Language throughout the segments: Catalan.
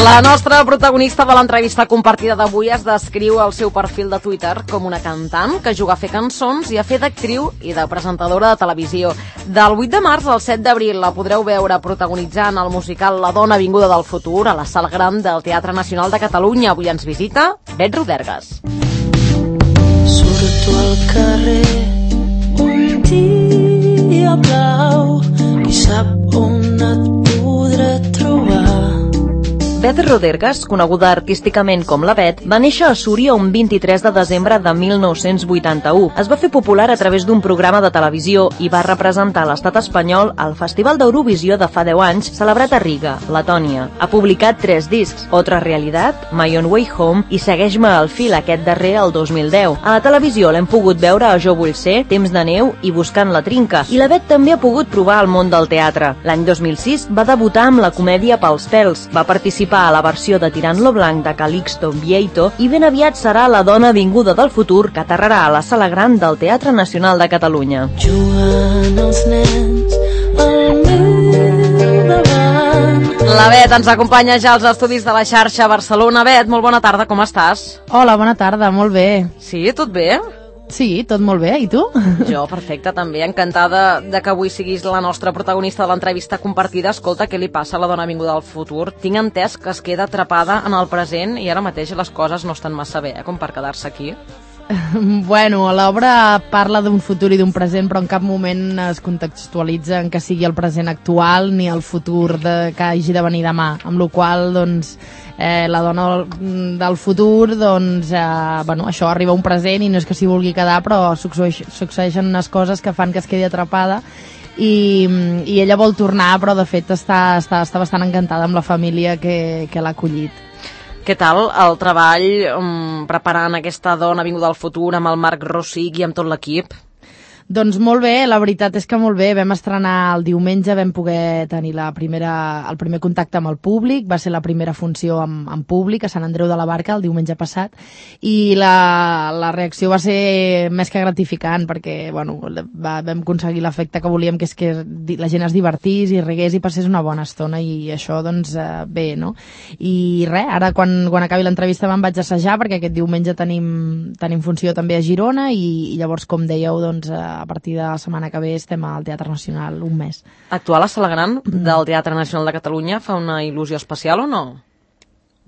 La nostra protagonista de l'entrevista compartida d'avui es descriu al seu perfil de Twitter com una cantant que juga a fer cançons i a fer d'actriu i de presentadora de televisió. Del 8 de març al 7 d'abril la podreu veure protagonitzant el musical La dona vinguda del futur a la Sala Gran del Teatre Nacional de Catalunya. Avui ens visita Bet Rodergas. Surto al carrer un dia blau i sap on et podré trobar. Bet Rodergas, coneguda artísticament com la Bet, va néixer a Súria un 23 de desembre de 1981. Es va fer popular a través d'un programa de televisió i va representar l'estat espanyol al Festival d'Eurovisió de fa 10 anys, celebrat a Riga, Letònia. Ha publicat 3 discs, Otra Realitat, My Own Way Home i Segueix-me al fil, aquest darrer el 2010. A la televisió l'hem pogut veure a Jo vull ser, Temps de neu i Buscant la trinca. I la Bet també ha pogut provar el món del teatre. L'any 2006 va debutar amb la comèdia Pels pèls. Va participar a la versió de Tirant lo blanc de Calixto Vieito i ben aviat serà la dona vinguda del futur que aterrarà a la Sala Gran del Teatre Nacional de Catalunya. Jugant els nens al meu davant. La Bet ens acompanya ja als estudis de la xarxa Barcelona. Bet, molt bona tarda, com estàs? Hola, bona tarda, molt bé. Sí, tot bé? Sí, tot molt bé, i tu? Jo, perfecte, també. Encantada de que avui siguis la nostra protagonista de l'entrevista compartida. Escolta, què li passa a la dona vinguda del futur? Tinc entès que es queda atrapada en el present i ara mateix les coses no estan massa bé, com per quedar-se aquí. Bueno, l'obra parla d'un futur i d'un present, però en cap moment es contextualitza en que sigui el present actual ni el futur que hagi de venir demà, amb la qual cosa, doncs, la dona del futur, doncs, bueno, això arriba a un present i no és que s'hi vulgui quedar, però succeeixen unes coses que fan que es quedi atrapada i ella vol tornar, però de fet està bastant encantada amb la família que l'ha acollit. Què tal el treball preparant aquesta dona vinguda del futur amb el Marc Rossig i amb tot l'equip? Doncs molt bé, la veritat és que molt bé. Vam estrenar el diumenge, vam poder tenir el primer contacte amb el públic, va ser la primera funció amb públic a Sant Andreu de la Barca el diumenge passat i la reacció va ser més que gratificant perquè bueno, vam aconseguir l'efecte que volíem, que és que la gent es divertís i rigués i passés una bona estona i això doncs bé, no? I res, ara quan acabi l'entrevista me'n vaig assajar perquè aquest diumenge tenim funció també a Girona i llavors, com dèieu, doncs a partir de la setmana que ve estem al Teatre Nacional un mes. Actuar a la Sala Gran del Teatre Nacional de Catalunya fa una il·lusió especial o no?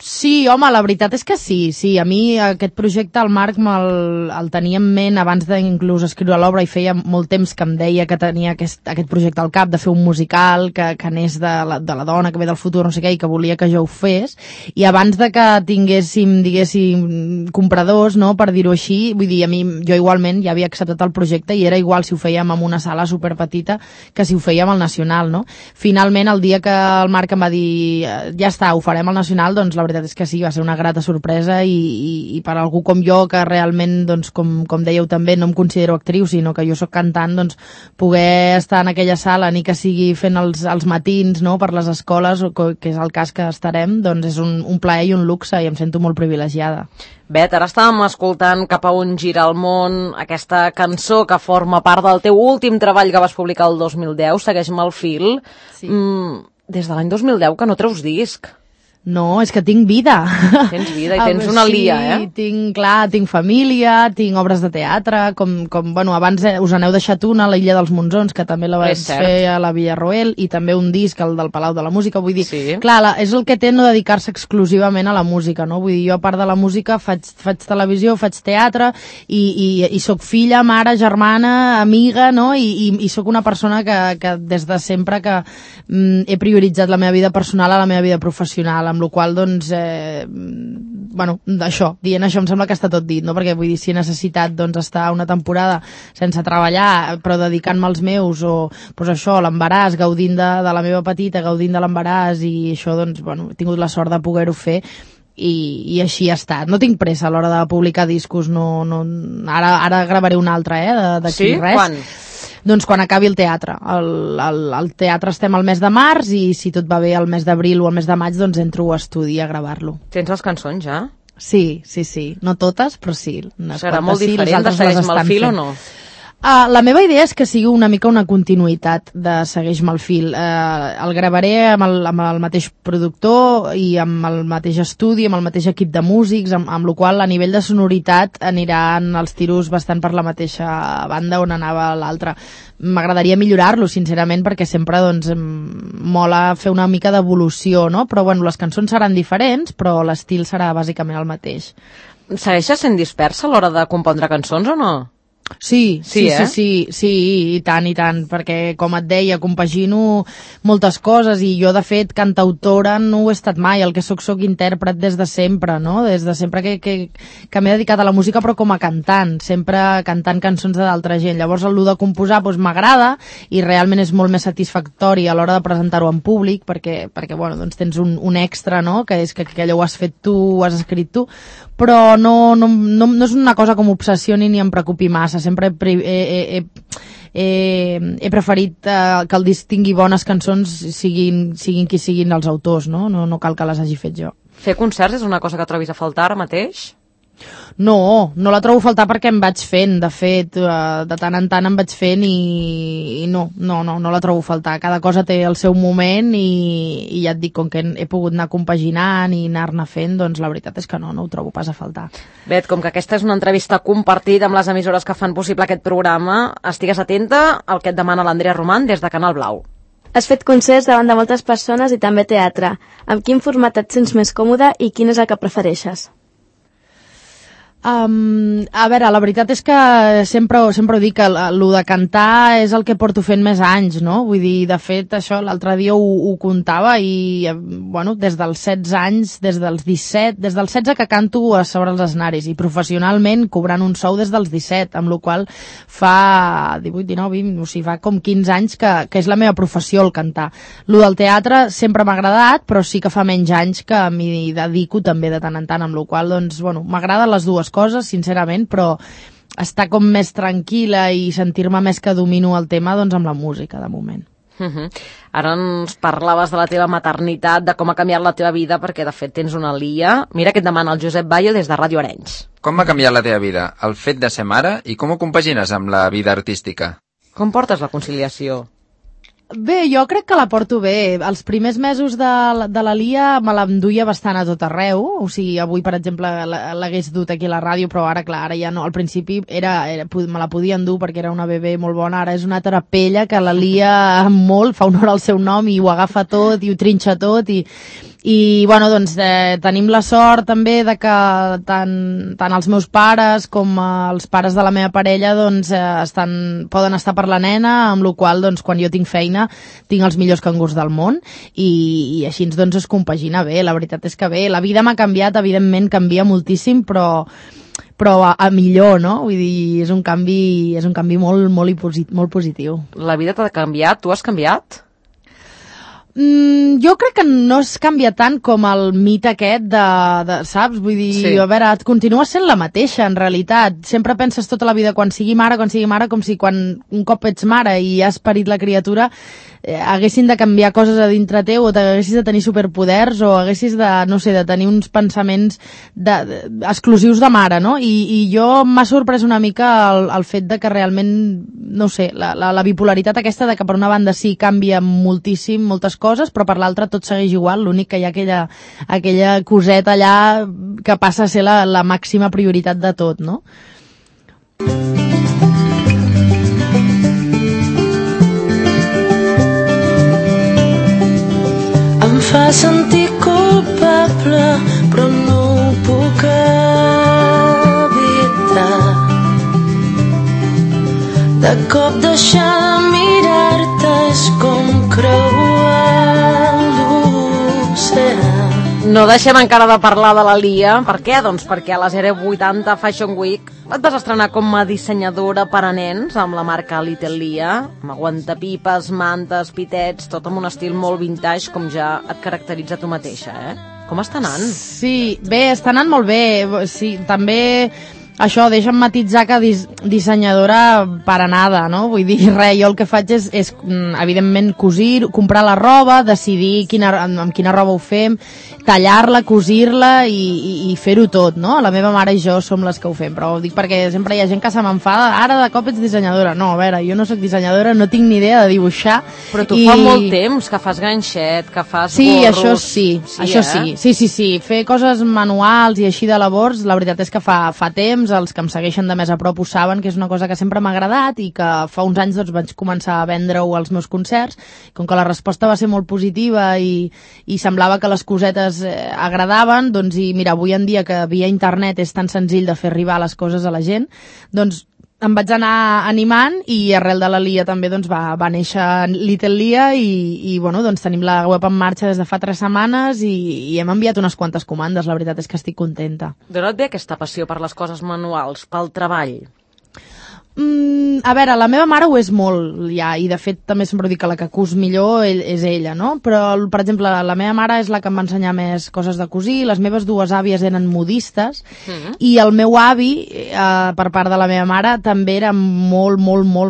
Sí, home, la veritat és que sí. A mi aquest projecte, el Marc, el tenia en ment abans d'inclús escriure l'obra i feia molt temps que em deia que tenia aquest projecte al cap de fer un musical que anés de la dona que ve del futur, no sé què, i que volia que jo ho fes. I abans de que tinguéssim, diguéssim, compradors, no, per dir-ho així, vull dir, a mi, jo igualment ja havia acceptat el projecte i era igual si ho fèiem en una sala superpetita que si ho fèiem al Nacional, no? Finalment, el dia que el Marc em va dir ja està, ho farem al Nacional, doncs la veritat és que sí, va ser una grata sorpresa i per algú com jo, que realment, doncs, com dèieu també, no em considero actriu, sinó que jo sóc cantant, doncs, poder estar en aquella sala, ni que sigui fent els matins, no?, per les escoles, que és el cas que estarem, doncs és un plaer i un luxe i em sento molt privilegiada. Bet, ara estàvem escoltant Cap a on gira el món, aquesta cançó que forma part del teu últim treball que vas publicar el 2010, Segueix-me al fil. Sí. Des de l'any 2010 que no treus disc. No, és que tinc vida. Tens vida i tens una lia, eh? Tinc família, tinc obres de teatre, bueno, abans us n'heu deixat una, La illa dels Monzons, que també la vaig fer a la Villarroel, i també un disc, el del Palau de la Música, vull dir, sí. Clar, és el que té no dedicar-se exclusivament a la música, no? Vull dir, jo a part de la música faig televisió, faig teatre, i sóc filla, mare, germana, amiga, no? I sóc una persona que des de sempre que he prioritzat la meva vida personal a la meva vida professional, amb la qual cosa, doncs, bueno, dient això em sembla que està tot dit, no? Perquè vull dir, si he necessitat, doncs, estar una temporada sense treballar, però dedicant-me als meus, o doncs això, l'embaràs, gaudint de la meva petita, gaudint de l'embaràs, i això, doncs, bueno, he tingut la sort de poder-ho fer, i així ha estat. No tinc pressa a l'hora de publicar discos, no, ara gravaré un altre, d'aquí res. Quan? Doncs quan acabi el teatre. Al teatre estem al mes de març i si tot va bé al mes d'abril o al mes de maig doncs entro a estudi a gravar-lo. Tens les cançons ja? Sí. No totes, però sí. Serà molt diferent de Segueix-me el fil o no? La meva idea és que sigui una mica una continuïtat de Segueix-me el fil. El gravaré amb el mateix productor i amb el mateix estudi, amb el mateix equip de músics, amb la qual a nivell de sonoritat aniran els tiros bastant per la mateixa banda on anava l'altra. M'agradaria millorar-lo, sincerament, perquè sempre doncs, mola fer una mica d'evolució, no? Però bueno, les cançons seran diferents, però l'estil serà bàsicament el mateix. Segueixes sent dispersa a l'hora de compondre cançons o no? Sí, i tant, perquè com et deia, compagino moltes coses i jo de fet cantautora no ho he estat mai, el que soc intèrpret des de sempre, no? Des de sempre que m'he dedicat a la música però com a cantant, sempre cantant cançons d'altra gent, llavors el de composar doncs, m'agrada i realment és molt més satisfactori a l'hora de presentar-ho en públic perquè bueno, doncs tens un extra, no? Que és que allò ho has fet tu, ho has escrit tu, però no és una cosa com obsessioni ni em preocupi massa, sempre he preferit que el disc tingui bones cançons siguin qui siguin els autors, no cal que les hagi fet jo. Fer concerts és una cosa que trobis a faltar ara mateix? No la trobo a faltar perquè em vaig fent, de fet, de tant en tant em vaig fent i no la trobo a faltar. Cada cosa té el seu moment i ja et dic, com que he pogut anar compaginant i anar-ne fent, doncs la veritat és que no ho trobo pas a faltar. Bet, com que aquesta és una entrevista compartida amb les emissores que fan possible aquest programa, estigues atenta al que et demana l'Andrea Roman des de Canal Blau. Has fet concerts davant de moltes persones i també teatre. Amb quin format et sents més còmode i quin és el que prefereixes? A veure, la veritat és que sempre ho dic, que el de cantar és el que porto fent més anys, no? Vull dir, de fet, això l'altre dia ho comptava i, bueno, des dels 16 anys, des dels 17, des dels 16 que canto a sobre els escenaris i professionalment cobrant un sou des dels 17, amb la qual fa 18, 19, 20, o sigui, fa com 15 anys que és la meva professió el cantar. Lo del teatre sempre m'ha agradat, però sí que fa menys anys que m'hi dedico també de tant en tant, amb la qual, doncs, bueno, m'agraden les dues coses, sincerament, però estar com més tranquil·la i sentir-me més que domino el tema, doncs amb la música, de moment. Ara ens parlaves de la teva maternitat, de com ha canviat la teva vida, perquè de fet tens una Lia. Mira què et demana el Josep Bayo des de Ràdio Arenys. Com ha canviat la teva vida, el fet de ser mare, i com ho compagines amb la vida artística? Com portes la conciliació? Bé, jo crec que la porto bé. Els primers mesos de la Lia me l'enduia bastant a tot arreu. O sigui, avui, per exemple, l'hagués dut aquí a la ràdio, però ara, clar, ara ja no. Al principi me la podia endur perquè era una bebè molt bona. Ara és una terapella que la Lia molt, fa honor al seu nom i ho agafa tot i ho trinxa tot i bueno, doncs tenim la sort també de que tant els meus pares com els pares de la meva parella doncs poden estar per la nena, amb la qual doncs quan jo tinc feina tinc els millors cangurs del món i així doncs es compagina bé. La veritat és que bé, la vida m'ha canviat, evidentment canvia moltíssim, però a millor, no? Vull dir, és un canvi molt positiu. La vida t'ha canviat? Tu has canviat? Jo crec que no es canvia tant com el mite aquest saps? Vull dir, sí. A veure, et continua sent la mateixa, en realitat. Sempre penses tota la vida, quan sigui mare, com si quan un cop ets mare i has parit la criatura, haguessin de canviar coses a dintre teu, o haguessis de tenir superpoders, o haguessis de tenir uns pensaments exclusius de mare, no? I jo m'ha sorprès una mica el fet de que realment, no sé, la bipolaritat aquesta de que per una banda sí canvia moltíssim, moltes coses, però per l'altra tot segueix igual, l'únic que hi ha aquella coseta allà que passa a ser la màxima prioritat de tot, no? Em fa sentir culpable, però no ho puc evitar. De cop deixar de mirar-te és com creuar l'oceà. No deixem encara de parlar de la Lia. Per què? Doncs perquè a la 080 Fashion Week et vas estrenar com a dissenyadora per a nens amb la marca Little Lia, amb aguantapipes, mantes, pitets, tot amb un estil molt vintage, com ja et caracteritza tu mateixa, eh? Com està anant? Sí, bé, està anant molt bé. Sí, també això, deixa'm matitzar que dissenyadora para nada, no? Vull dir, res, jo el que faig és evidentment cosir, comprar la roba, decidir amb quina roba ho fem, tallar-la, cosir-la i fer-ho tot, no? La meva mare i jo som les que ho fem, però ho dic perquè sempre hi ha gent que se m'enfada, ara de cop ets dissenyadora. No, a veure, jo no sóc dissenyadora, no tinc ni idea de dibuixar. Però tu fa molt temps que fas ganxet, que fas gorros... Sí, això sí. Fer coses manuals i així de labors, la veritat és que fa temps, els que em segueixen de més a prop ho saben, que és una cosa que sempre m'ha agradat i que fa uns anys doncs, vaig començar a vendre-ho als meus concerts. Com que la resposta va ser molt positiva i semblava que les cosetes agradaven, doncs, i mira, avui en dia que via internet és tan senzill de fer arribar les coses a la gent, doncs em vaig anar animant i arrel de la Lia també doncs, va néixer Little Lia i bueno, doncs tenim la web en marxa des de fa 3 setmanes i hem enviat unes quantes comandes, la veritat és que estic contenta. D'on et ve aquesta passió per les coses manuals, pel treball? A veure, la meva mare ho és molt ja, i de fet també sempre dic que la que cus millor és ella, no? Però, per exemple, la meva mare és la que em va ensenyar més coses de cosir, les meves 2 àvies eren modistes i el meu avi, per part de la meva mare, també era molt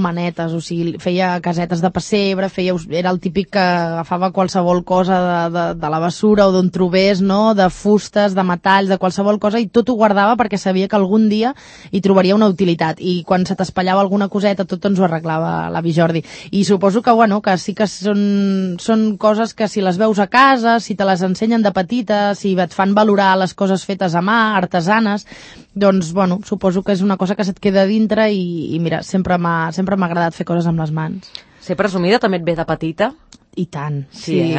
manetes, o sigui, feia casetes de pessebre, era el típic que agafava qualsevol cosa de la bessura o d'on trobés, no? De fustes, de metalls, de qualsevol cosa, i tot ho guardava perquè sabia que algun dia hi trobaria una utilitat, i quan se t'espallava alguna coseta tot ens ho arreglava l'avi Jordi. I suposo que, bueno, que sí que són coses que si les veus a casa, si te les ensenyen de petita, si et fan valorar les coses fetes a mà, artesanes, doncs, bueno, suposo que és una cosa que se't queda dintre i mira, sempre m'ha agradat fer coses amb les mans. Ser presumida també et ve de petita? I tant, sí.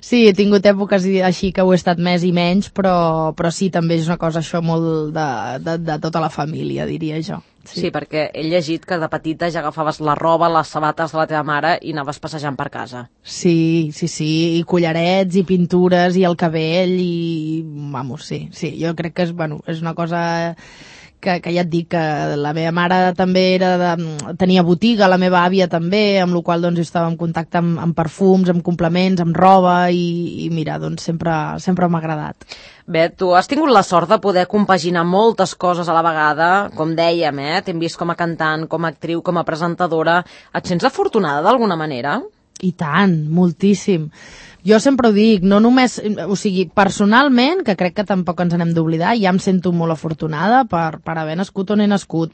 Sí, he tingut èpoques així que ho he estat més i menys, però sí, també és una cosa això molt de tota la família, diria jo. Sí, perquè he llegit que de petita ja agafaves la roba, les sabates de la teva mare i anaves passejant per casa. Sí, i collarets, i pintures, i el cabell, i... Vamos, sí, jo crec que és una cosa... que ja et dic que la meva mare també tenia botiga, la meva àvia també, amb la qual doncs estava en contacte amb perfums, amb complements, amb roba i mira, doncs sempre m'ha agradat. Bé, tu has tingut la sort de poder compaginar moltes coses a la vegada, com dèiem, t'hem vist com a cantant, com a actriu, com a presentadora. Et sents afortunada d'alguna manera? I tant, moltíssim. Jo sempre ho dic, no només, o sigui, personalment, que crec que tampoc ens n'hem d'oblidar, ja em sento molt afortunada per haver nascut on he nascut,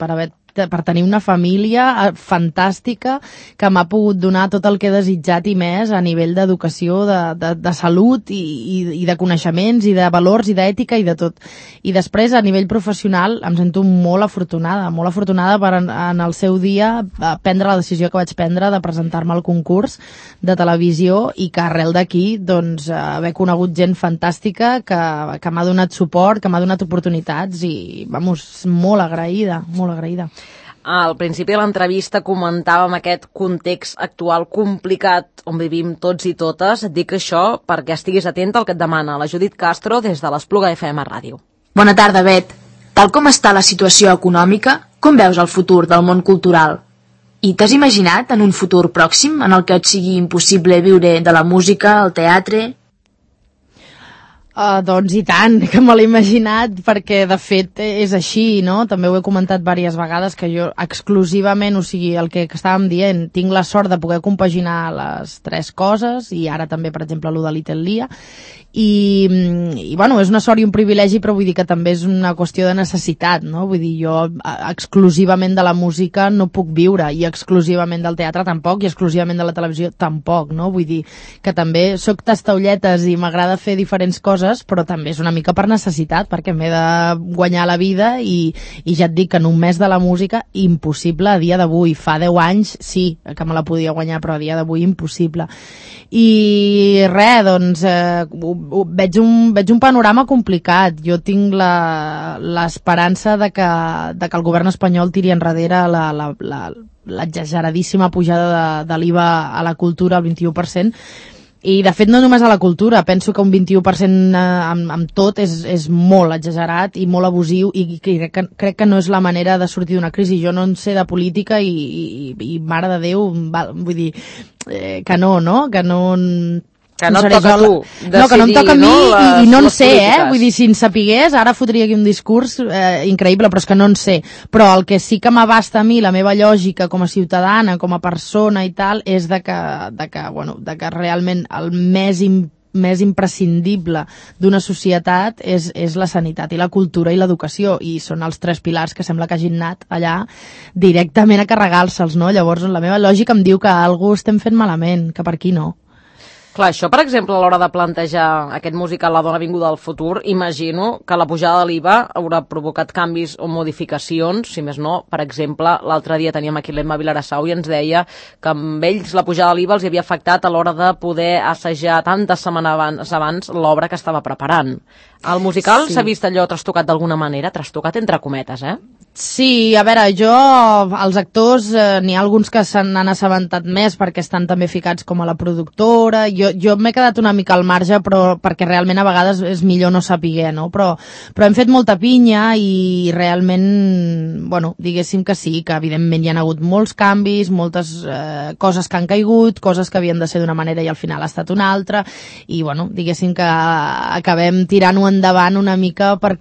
per tenir una família fantàstica que m'ha pogut donar tot el que he desitjat i més a nivell d'educació, de salut i de coneixements i de valors i d'ètica i de tot. I després, a nivell professional, em sento molt afortunada per en el seu dia prendre la decisió que vaig prendre de presentar-me al concurs de televisió i que arrel d'aquí doncs, haver conegut gent fantàstica que m'ha donat suport, que m'ha donat oportunitats i, vamos, molt agraïda. Al principi de l'entrevista comentàvem aquest context actual complicat on vivim tots i totes. Et dic això perquè estiguis atenta al que et demana la Judit Castro des de l'Espluga FM Ràdio. Bona tarda, Bet. Tal com està la situació econòmica, com veus el futur del món cultural? I t'has imaginat en un futur pròxim en el que et sigui impossible viure de la música, el teatre? Doncs i tant, que me l'he imaginat, perquè de fet és així, no? També ho he comentat diverses vegades, que jo exclusivament, o sigui, el que estàvem dient, tinc la sort de poder compaginar les 3 coses, i ara també, per exemple, lo de Little Lia, i bueno, és una sort i un privilegi, però vull dir que també és una qüestió de necessitat, no? Vull dir, jo exclusivament de la música no puc viure, i exclusivament del teatre tampoc, i exclusivament de la televisió tampoc, no? Vull dir que també soc tastaulletes i m'agrada fer diferents coses, però també és una mica per necessitat, perquè m'he de guanyar la vida i ja et dic que només de la música, impossible a dia d'avui. Fa 10 anys sí que me la podia guanyar, però a dia d'avui impossible. I res, doncs veig un panorama complicat. Jo tinc l'esperança de que el govern espanyol tiri enrere l'exageradíssima pujada de l'IVA a la cultura al 21%, i de fet no només a la cultura, penso que un 21% amb tot és molt exagerat i molt abusiu, i crec que no és la manera de sortir d'una crisi. Jo no en sé de política i mare de Déu, vull dir que no, que no Que no et toca a tu decidir, no, que no em toca a mi i no en sé, polítiques. Vull dir, si en sapigués, ara fotria aquí un discurs increïble, però és que no en sé. Però el que sí que m'abasta a mi, la meva lògica com a ciutadana, com a persona i tal, és de que realment el més imprescindible d'una societat és la sanitat i la cultura i l'educació, i són els 3 pilars que sembla que hagin anat allà directament a carregar-se'ls, no? Llavors la meva lògica em diu que algú estem fent malament, que per aquí no. Clar, això, per exemple, a l'hora de plantejar aquest musical La dona vinguda del futur, imagino que la pujada de l'IVA haurà provocat canvis o modificacions, si més no. Per exemple, l'altre dia teníem aquí l'Emma Vilarassau i ens deia que amb ells la pujada de l'IVA els havia afectat a l'hora de poder assajar tantes setmanes abans l'obra que estava preparant. El musical s'ha vist allò trastocat d'alguna manera, trastocat entre cometes, Sí, a veure, els actors, n'hi ha alguns que se n'han assabentat més perquè estan també ficats com a la productora. Jo m'he quedat una mica al marge, però perquè realment a vegades és millor no saber, no? Però hem fet molta pinya i realment, bueno, diguéssim que sí, que evidentment hi ha hagut molts canvis, moltes coses que han caigut, coses que havien de ser d'una manera i al final ha estat una altra, i bueno, diguéssim que acabem tirant-ho endavant una mica per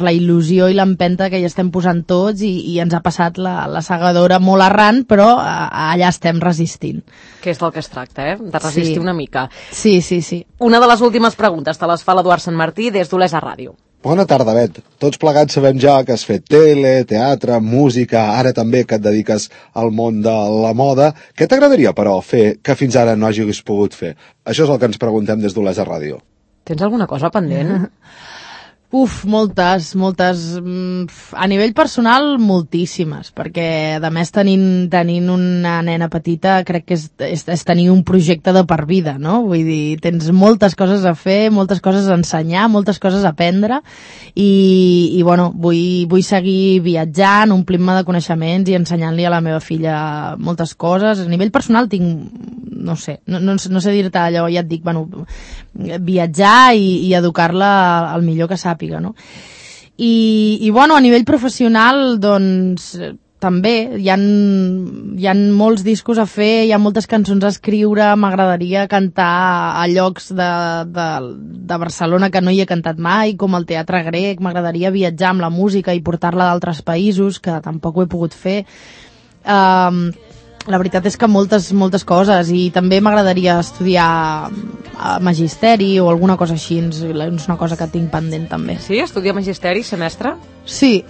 la il·lusió i l'empenta que hi estem posant tots i ens ha passat la segadora molt arran, però allà estem resistint. Que és del que es tracta, de resistir una mica. Sí. Una de les últimes preguntes te les fa l'Eduard Sant Martí des d'Olesa Ràdio. Bona tarda, Bet. Tots plegats sabem ja que has fet tele, teatre, música, ara també que et dediques al món de la moda. Què t'agradaria, però, fer que fins ara no hagis pogut fer? Això és el que ens preguntem des d'Olesa Ràdio. Tens alguna cosa pendent? Moltes. A nivell personal, moltíssimes, perquè a més tenint una nena petita crec que és tenir un projecte de per vida, no? Vull dir, tens moltes coses a fer, moltes coses a ensenyar, moltes coses a aprendre i bueno, vull seguir viatjant, omplint-me de coneixements i ensenyant-li a la meva filla moltes coses. A nivell personal tinc, no sé dir-te allò, ja et dic, bueno, viatjar i educar-la el millor que sàpiga, no? I bueno, a nivell professional, doncs, també hi ha molts discos a fer, hi ha moltes cançons a escriure, m'agradaria cantar a llocs de Barcelona que no hi he cantat mai, com el Teatre Grec, m'agradaria viatjar amb la música i portar-la d'altres països, que tampoc ho he pogut fer. La veritat és que moltes coses, i també m'agradaria estudiar magisteri o alguna cosa així, és una cosa que tinc pendent també. Sí? Estudiar magisteri, ser mestre? Sí,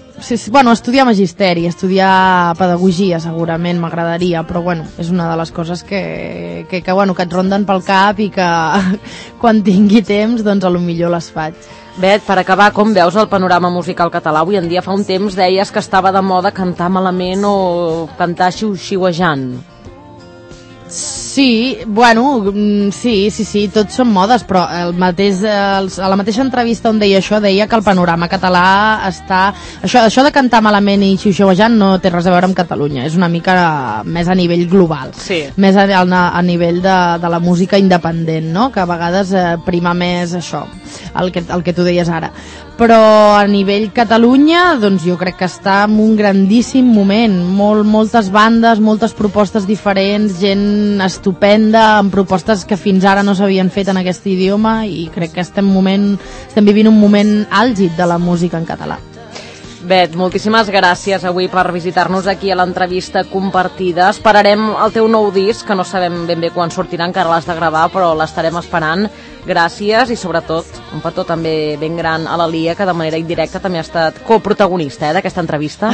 bueno, estudiar magisteri, estudiar pedagogia segurament m'agradaria, però bueno, és una de les coses que et ronden pel cap i que quan tingui temps, doncs potser les faig. Bet, per acabar, com veus el panorama musical català avui en dia? Fa un temps deies que estava de moda cantar malament o cantar xiu-xiuejant. Sí, bueno, sí, tots són modes, però a la mateixa entrevista on deia això, deia que el panorama català està... Això de cantar malament i xiu-xiuejant no té res a veure amb Catalunya, és una mica més a nivell global, més a nivell de la música independent, no? Que a vegades prima més això, el que tu deies ara. Però a nivell Catalunya, doncs jo crec que està en un grandíssim moment, moltes bandes, moltes propostes diferents, gent estupenda, amb propostes que fins ara no s'havien fet en aquest idioma, i crec que estem vivint un moment àlgid de la música en català. Bet, moltíssimes gràcies avui per visitar-nos aquí a l'entrevista compartida. Esperarem el teu nou disc, que no sabem ben bé quan sortirà, encara l'has de gravar, però l'estarem esperant. Gràcies i sobretot un petó també ben gran a la Lia, que de manera indirecta també ha estat coprotagonista d'aquesta entrevista.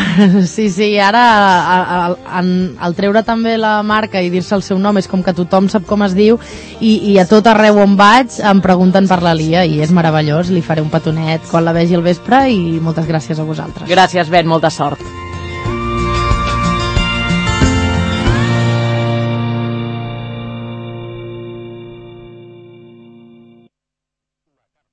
Sí, ara al treure també la marca i dir-se el seu nom és com que tothom sap com es diu, i a tot arreu on vaig em pregunten per la Lia i és meravellós. Li faré un petonet quan la vegi al vespre i moltes gràcies a vosaltres. Gràcies, Ben, molta sort.